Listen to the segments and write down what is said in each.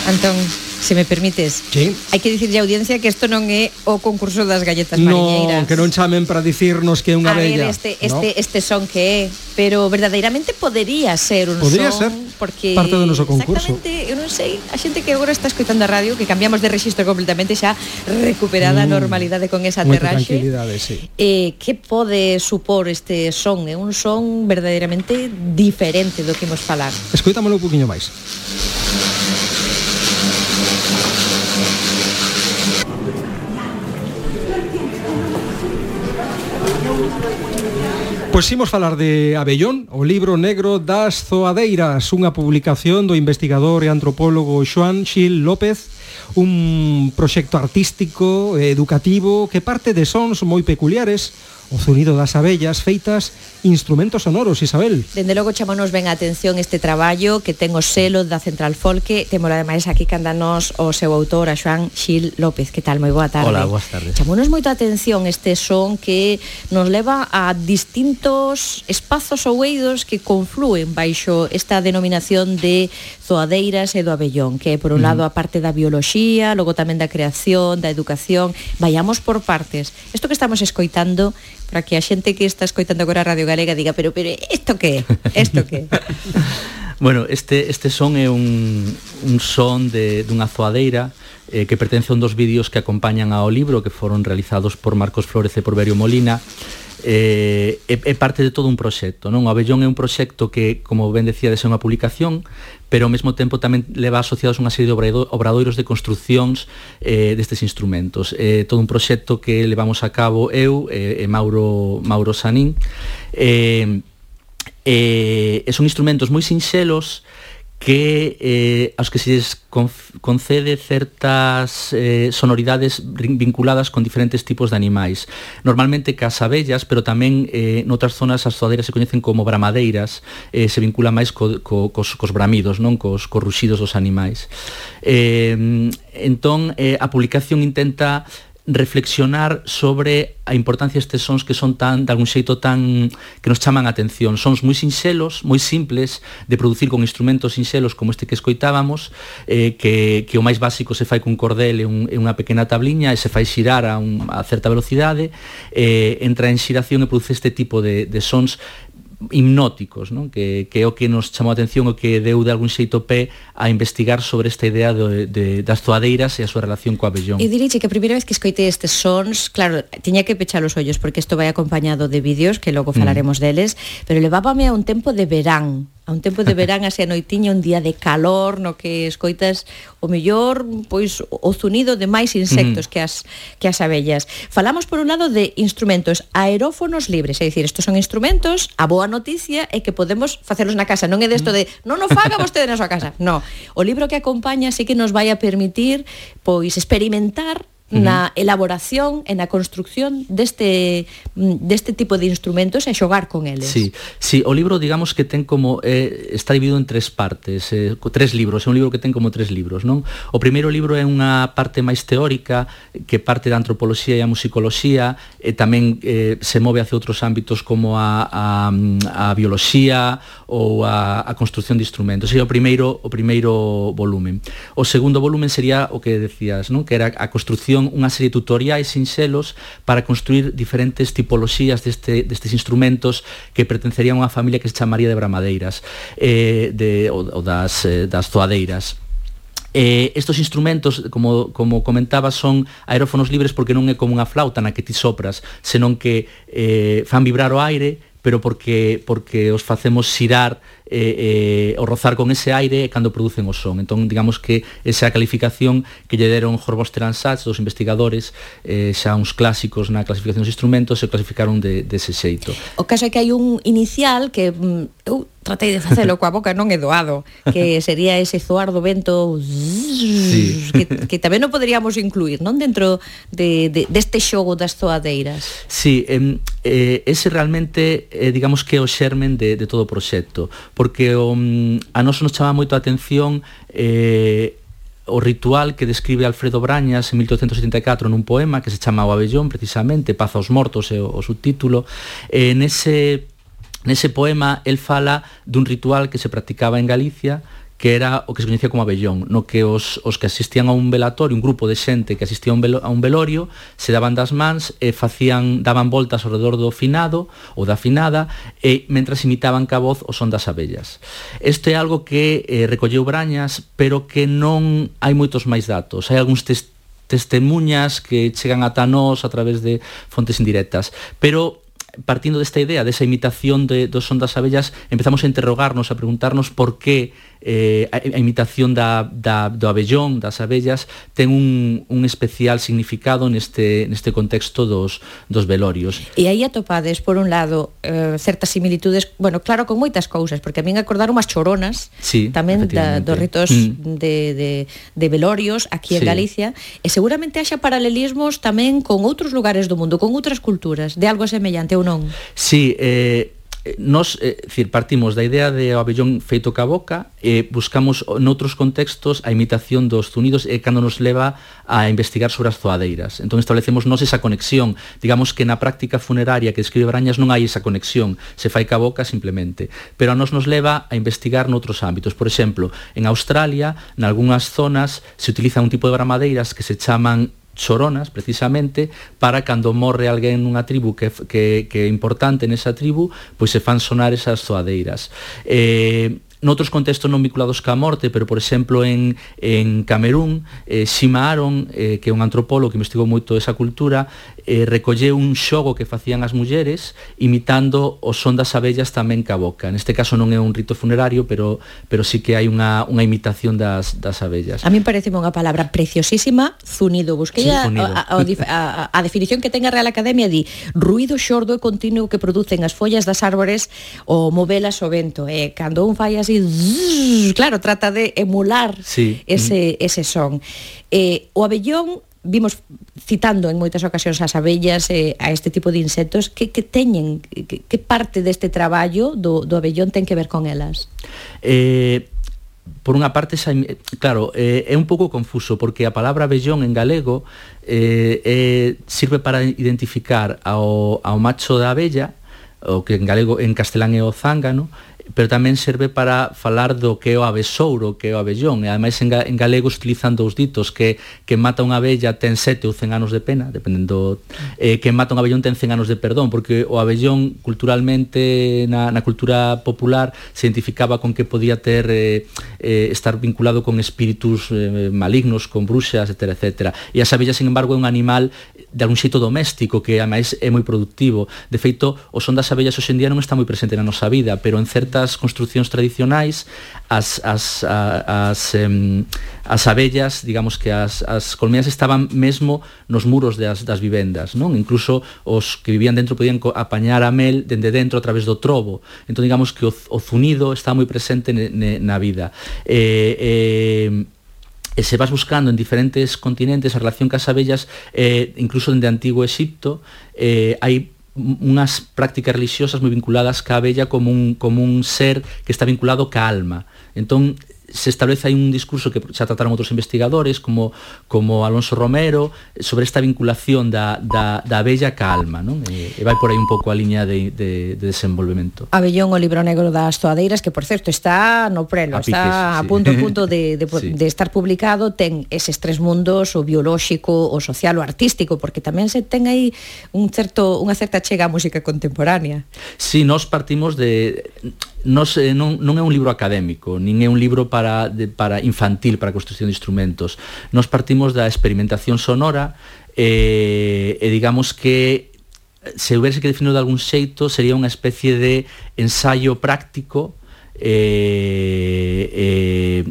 Antón, se me permites, sí. Hai que dicirlle á audiencia que isto non é o concurso das galletas mariñeiras. Non, que non chamen para dicirnos que é unha bella. A ver, este son que é, pero verdadeiramente podería ser un podría son, ser porque parte do noso concurso. Exactamente, eu non sei, a xente que agora está escoitando a radio, que cambiamos de rexistro completamente xa recuperada a normalidade con esa aterraxe. Sí. Que pode supor este son? É un son verdadeiramente diferente do que imos falar. Escoitámolo un poquinho máis. Pois imos falar de Abellón, o libro negro das zoadeiras, unha publicación do investigador e antropólogo Xoán Xil López, un proxecto artístico e educativo que parte de sons moi peculiares, o zunido das abellas feitas instrumentos sonoros, Isabel. Dende logo chamonos ben a atención este traballo que ten o selo da Central Folque. Temos ademais aquí candanos o seu autor, a Xoán Xil López. Que tal? Moi boa tarde. Hola, boas tardes. Chamonos moito a atención este son que nos leva a distintos espazos ou eidos que conflúen baixo esta denominación de zoadeiras e do Abellón, que é por un lado a parte da bioloxía, logo tamén da creación, da educación. Vayamos por partes. Isto que estamos escoitando, para que a xente que está escoitando agora a Radio Galega diga, pero isto que é? Isto que é? Bueno, este son é un son dunha zoadeira que pertence a un dos vídeos que acompañan ao libro, que foron realizados por Marcos Flores e por Berio Molina. É parte de todo un proxecto, non? O Abellón é un proxecto que, como ben decía, é unha publicación, pero ao mesmo tempo tamén leva asociados unha serie de obradoiros de construcións destes instrumentos. Todo un proxecto que levamos a cabo eu e Mauro Sanín. Son instrumentos moi sinxelos que aos que se concede certas sonoridades vinculadas con diferentes tipos de animais. Normalmente cas abellas, pero tamén noutras zonas as zoadeiras se coñecen como bramadeiras, se vincula máis cos bramidos, non cos ruxidos dos animais. Entón, a publicación intenta reflexionar sobre a importancia destes sons que son tan, de algún xeito tan, que nos chaman a atención. Sons moi sinxelos, moi simples de producir con instrumentos sinxelos como este que escoitábamos, que o máis básico se fai cun cordel e unha pequena tabliña e se fai xirar a certa velocidade, entra en xiración e produce este tipo de sons hipnóticos, non? Que é o que nos chamou a atención, o que deu de algún xeito pé a investigar sobre esta idea das zoadeiras e a súa relación co abellón. E diríxe que a primeira vez que escoitei estes sons, claro, tiña que pechar os ollos porque isto vai acompañado de vídeos que logo falaremos deles, pero levábame a un tempo de verán, así a noitiña, un día de calor no que escoitas o mellor, pois o zunido de máis insectos que as abellas. Falamos por un lado de instrumentos aerófonos libres, é dicir, estos son instrumentos, a boa noticia é que podemos facelos na casa, non é desto de non o faga vostede na súa casa. No, o libro que acompaña sí que nos vai a permitir pois experimentar na elaboración e na construcción deste tipo de instrumentos e xogar con eles. Sí, o libro, digamos que ten como está dividido en tres partes, tres libros, é un libro que ten como tres libros, non? O primeiro libro é unha parte máis teórica que parte da antropoloxía e a musicoloxía, e tamén se move hacia outros ámbitos como a bioloxía ou a construcción de instrumentos. É o primeiro volumen. O segundo volumen sería o que decías, non? Que era a construcción, unha serie de tutoriais sinxelos para construir diferentes tipoloxías destes instrumentos que pertencerían a unha familia que se chamaría de bramadeiras ou das zoadeiras. Estos instrumentos, como comentaba, son aerófonos libres porque non é como unha flauta na que ti sopras, senón que fan vibrar o aire, pero porque os facemos xirar o rozar con ese aire cando producen o son. Entón, digamos que esa calificación que lle deron Horvoster and Sachs, dos investigadores, xa uns clásicos na clasificación dos instrumentos, se clasificaron dese xeito. O caso é que hai un inicial que eu tratei de facelo coa boca, non é doado, que sería ese zoar do vento que tamén non poderíamos incluir, non? Dentro deste xogo das zoadeiras. Sí, ese realmente digamos que é o xermen de todo o proxecto, porque a nós nos chama moito a atención o ritual que describe Alfredo Brañas en 1874 nun poema que se chama O Abellón, precisamente, Paz aos mortos é o subtítulo. Nese poema el fala dun ritual que se practicaba en Galicia, que era o que se coñecía como abellón, no que os que asistían a un velatorio, un grupo de xente que asistía a un velorio, se daban das mans e daban voltas ao redor do finado ou da finada e mentras imitaban ca voz o son das abellas. Isto é algo que recolleu Brañas, pero que non hai moitos máis datos. Hai algúns testemunhas que chegan ata nós a través de fontes indirectas, pero partindo desta idea, desa imitación do son das abellas, empezamos a interrogarnos, a preguntarnos por que a imitación do abellón, das abellas, ten un especial significado neste contexto dos velorios. E aí atopades, por un lado, certas similitudes, bueno, claro, con moitas cousas, porque a min acordaron as choronas, sí, tamén dos ritos de velorios aquí en Galicia, e seguramente haxa paralelismos tamén con outros lugares do mundo, con outras culturas, de algo semellante ou non? Sí, nos partimos da idea de o abellón feito ca boca e buscamos noutros contextos a imitación dos zunidos e cando nos leva a investigar sobre as zoadeiras. Entón establecemos nos esa conexión. Digamos que na práctica funeraria que describe Brañas non hai esa conexión, se fai ca boca simplemente, pero a nos leva a investigar noutros ámbitos. Por exemplo, en Australia, nalgúnas zonas se utiliza un tipo de bramadeiras que se chaman choronas, precisamente, para cando morre alguén nunha tribu que é importante nesa tribu, pois se fan sonar esas zoadeiras. Noutros contextos non vinculados ca morte, pero, por exemplo, en Camerún, Shima Aron, que é un antropólogo que investigou moito esa cultura, recolleu un xogo que facían as mulleres imitando o son das abellas tamén ca boca. Neste caso non é un rito funerario, pero sí que hai unha imitación das abellas. A mí pareceme unha palabra preciosísima, zunido. Busquei a definición que ten a Real Academia, di ruído xordo e continuo que producen as follas das árbores ou movelas ao vento. Cando un fai así, claro, trata de emular ese son. O abellón, vimos citando en moitas ocasións as abellas a este tipo de insectos, que teñen, que parte deste traballo do abellón ten que ver con elas? Por unha parte, claro, é un pouco confuso, porque a palabra abellón en galego sirve para identificar ao macho da abella, o que en castelán é o zángano, pero tamén serve para falar do que é o abesouro, que é o abellón, e ademais en galego se utilizan dous ditos, que mata unha abella ten 7 ou 100 anos de pena, dependendo, que mata un abellón ten 100 anos de perdón, porque o abellón culturalmente na cultura popular se identificaba con que podía estar vinculado con espíritus malignos, con bruxas, etc. E as abellas, sin embargo, é un animal de algún xeito doméstico que ademais é moi productivo. De feito, o son das abellas hoxe en día non está moi presente na nosa vida, pero en certas construcións tradicionais as abellas, digamos que as colmeas estaban mesmo nos muros das vivendas, non? Incluso os que vivían dentro podían apañar a mel dende dentro a través do trobo. Entón, digamos que o zunido está moi presente na vida. E se vas buscando en diferentes continentes a relación cas abellas, incluso dende Antigo Exipto, hai unhas prácticas religiosas moi vinculadas ca abella como un ser que está vinculado ca alma. Entón, se establece aí un discurso que xa trataron outros investigadores como Alonso Romero sobre esta vinculación da abella ca alma, non? E vai por aí un pouco a liña de desenvolvemento. Abellón, o libro negro das zoadeiras, que por certo está no prelo, está a punto de estar publicado, ten eses tres mundos, o biolóxico, o social, o artístico, porque tamén se ten aí unha certa chega á música contemporánea. Sí, nós partimos non é un libro académico, nin é un libro para infantil, para a construcción de instrumentos. Nos partimos da experimentación sonora e digamos que se houbese que definir de algún xeito sería unha especie de ensaio práctico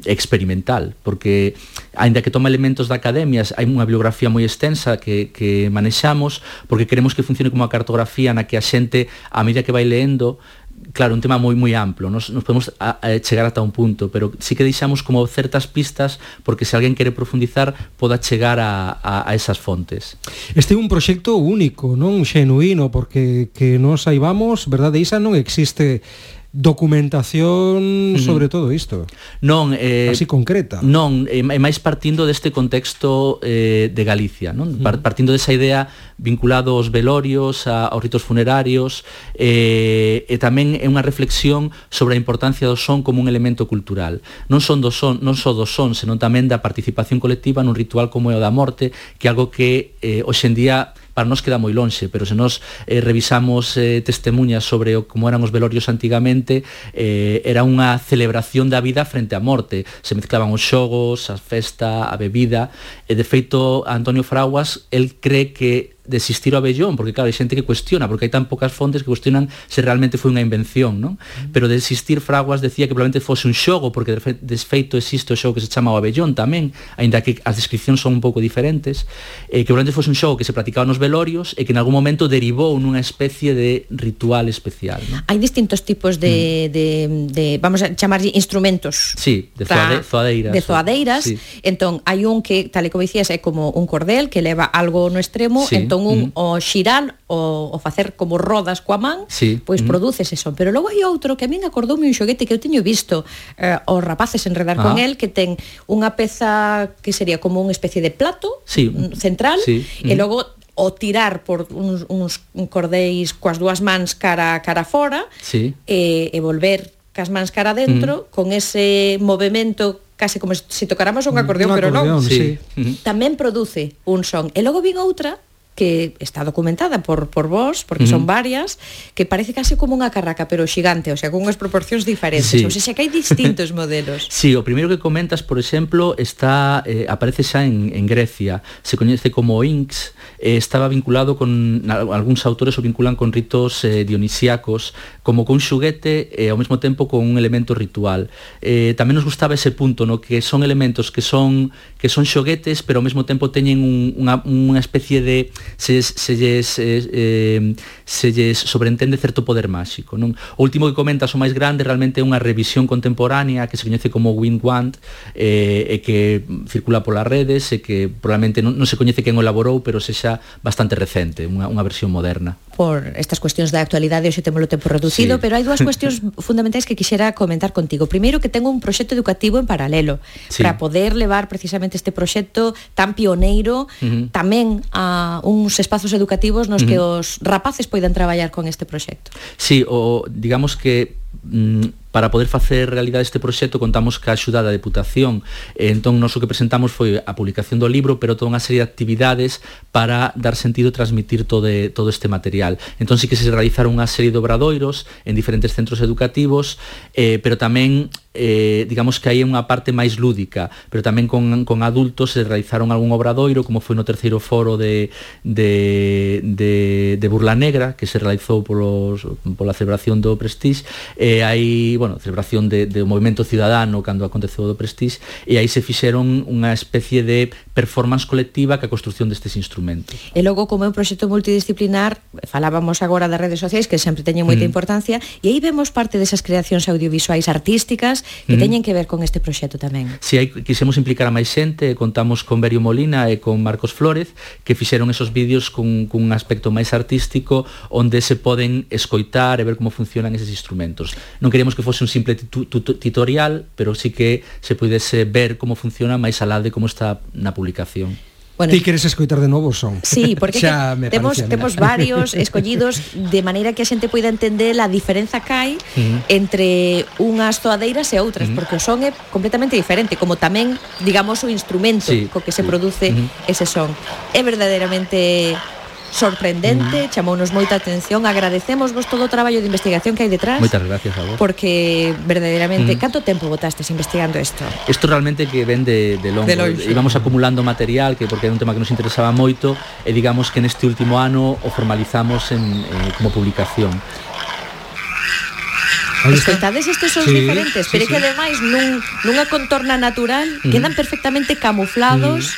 experimental, porque aínda que toma elementos da academia, hai unha bibliografía moi extensa que manexamos, porque queremos que funcione como a cartografía na que a xente, a medida que vai leendo, claro, un tema moi amplo, nos podemos chegar ata un punto, pero sí que deixamos como certas pistas porque se alguén quere profundizar poda chegar a esas fontes. Este é un proxecto único, non xenuíno, porque que nos saibamos, verdade, Isa, non existe documentación sobre todo isto. Non, así concreta. Non, é máis partindo deste contexto de Galicia, non? Partindo desa idea vinculado aos velorios, aos ritos funerarios, e tamén é unha reflexión sobre a importancia do son como un elemento cultural. Non só do son, senón tamén da participación colectiva nun ritual como é o da morte, que é algo que hoxe en día para nós queda moi lonxe, pero se nós revisamos testemunhas sobre como eran os velorios antigamente, era unha celebración da vida frente á morte. Se mezclaban os xogos, a festa, a bebida, e de feito Antonio Fraguas, el cree que de existir o abellón, porque claro, hai xente que cuestiona, porque hai tan pocas fontes que cuestionan se realmente foi unha invención, non? Pero de existir, Fraguas decía que probablemente fose un xogo, porque de feito existe o xogo que se chama o abellón tamén, aínda que as descripcións son un pouco diferentes, que probablemente fose un xogo que se practicaba nos velorios e que en algún momento derivou nunha especie de ritual especial, non? Hai distintos tipos de vamos a chamar instrumentos. Sí, de zoadeiras. De zoadeiras. Sí. Entón, hai un que, tal e como dicías, é como un cordel que leva algo no extremo, sí. Entón o xirar o facer como rodas coa man, sí. Pois produce ese son. Pero logo hai outro que a min acordoume un xoguete que eu teño visto os rapaces enredar con el, que ten unha peza que sería como unha especie de plato, sí. Central, sí. E logo o tirar por uns cordeis coas dúas mans cara fora, sí. E volver cas mans cara dentro, con ese movimento case como se tocáramos un acordeón, pero non. Sí. Tamén produce un son. E logo vin outra que está documentada por vos, porque son varias, que parece case como unha carraca, pero xigante, o sea, con unhas proporcións diferentes, sí. O sea, que hai distintos modelos. Sí, o primeiro que comentas, por exemplo, está aparece xa en Grecia, se coñece como Inks, estaba vinculado con, algúns autores o vinculan con ritos dionisíacos, como con xuguete e ao mesmo tempo con un elemento ritual. Tamén nos gustaba ese punto, no que son elementos que son xoguetes, pero ao mesmo tempo teñen unha especie de se lles sobreentende certo poder máxico, non? O último que comentas, o máis grande, realmente é unha revisión contemporánea que se coñece como Wind Wand, e que circula polas redes, e que probablemente non se coñece quen o elaborou, pero sexa bastante recente, unha versión moderna. Por estas cuestións da actualidade, hoxe temos o tempo reducido, sí. Pero hai dúas cuestións fundamentais que quixera comentar contigo. Primeiro, que tengo un proxecto educativo en paralelo, sí. Para poder levar precisamente este proxecto tan pioneiro tamén a uns espazos educativos nos que os rapaces poidan traballar con este proxecto. Sí, digamos que para poder facer realidade este proxecto contamos ca axuda da Deputación, entón nós o que presentamos foi a publicación do libro, pero toda unha serie de actividades para dar sentido e transmitir todo este material. Entón sí que se realizaron unha serie de obradoiros en diferentes centros educativos, pero tamén digamos que hai unha parte máis lúdica, pero tamén con adultos se realizaron algún obradoiro, como foi no terceiro foro de Burla Negra, que se realizou pola celebración do Prestige, hai, celebración do movimento ciudadano cando aconteceu do Prestige, e aí se fixeron unha especie de performance colectiva que a construción destes instrumentos. E logo, como é un proxecto multidisciplinar, falábamos agora das redes sociais, que sempre teñen moita importancia, e aí vemos parte desas creacións audiovisuais artísticas que teñen que ver con este proxecto tamén. Si, aí quisemos implicar a máis xente, contamos con Berio Molina e con Marcos Flórez, que fixeron esos vídeos cun aspecto máis artístico, onde se poden escoitar e ver como funcionan eses instrumentos. Non queríamos que fose un simple tutorial, pero sí que se pudese ver como funciona máis alá de como está na publicación. Bueno, ti queres escoitar de novo o son? Sí, porque temos varios escollidos de maneira que a xente poida entender a diferenza que hai entre unhas zoadeiras e outras, porque o son é completamente diferente, como tamén, digamos, o instrumento co que se produce ese son. É verdadeiramente sorprendente, chamounos moita atención, agradecemos vos todo o traballo de investigación que hai detrás. Moitas gracias a vos. Porque verdadeiramente, canto tempo botastes investigando isto? Isto realmente que ven de longo. Íbamos acumulando material, que porque era un tema que nos interesaba moito, e digamos que neste último ano o formalizamos como publicación. Escoitades estes sons diferentes, pero é que ademais nunha contorna natural quedan perfectamente camuflados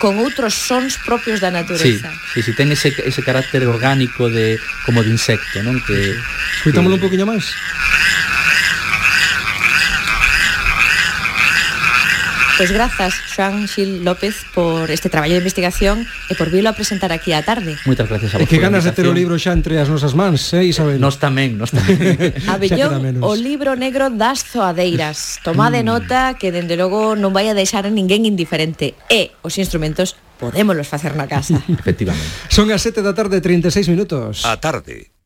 con outros sons propios da natureza. Sí, ten ese carácter orgánico como de insecto, non? Escoitámoslo un poquinho máis. Pois grazas, Xoan Xil López, por este traballo de investigación e por vilo a presentar aquí á tarde. Moitas gracias a vos. E que ganas de ter o libro xa entre as nosas mans, Isabel? Nos tamén. Abellón, o libro negro das zoadeiras. Tomade nota que, dende logo, non vai a deixar a ninguén indiferente. E os instrumentos podémolos facer na casa. Efectivamente. Son as 7 da tarde, 36 minutos. A tarde.